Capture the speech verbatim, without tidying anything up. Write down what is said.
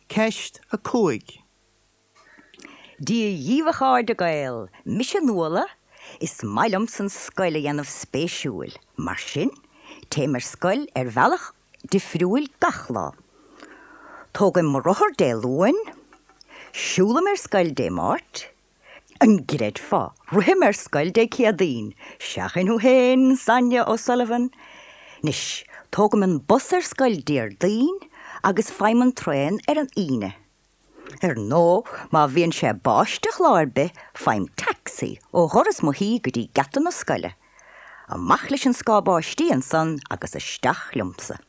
Ceist a cúig. Dia dhaoibh a chairde Gael, mise Nuala, is maith liomsa an scoil a dhéanamh spéisiúil, mar sin, téim ar scoil ar bhealach difriúil gach lá. Tógaim mo rothar Dé Luain, siúlaim ar scoil Dé Máirt, an gcreidfeá, rithim ar scoil Dé Céadaoin, seachain thú féin, Sonia O'Sullivan. Anois, tógaim an bus ar scoil Déardaoin agus faighim an traein ar an Aoine. Ar ndóigh, má bhíonn sé ag báisteach lá ar bith, faighim taxi ó dhoras mo thí go dtí geata na scoile. Amach leis an scáth báistí ansan agus isteach liomsa.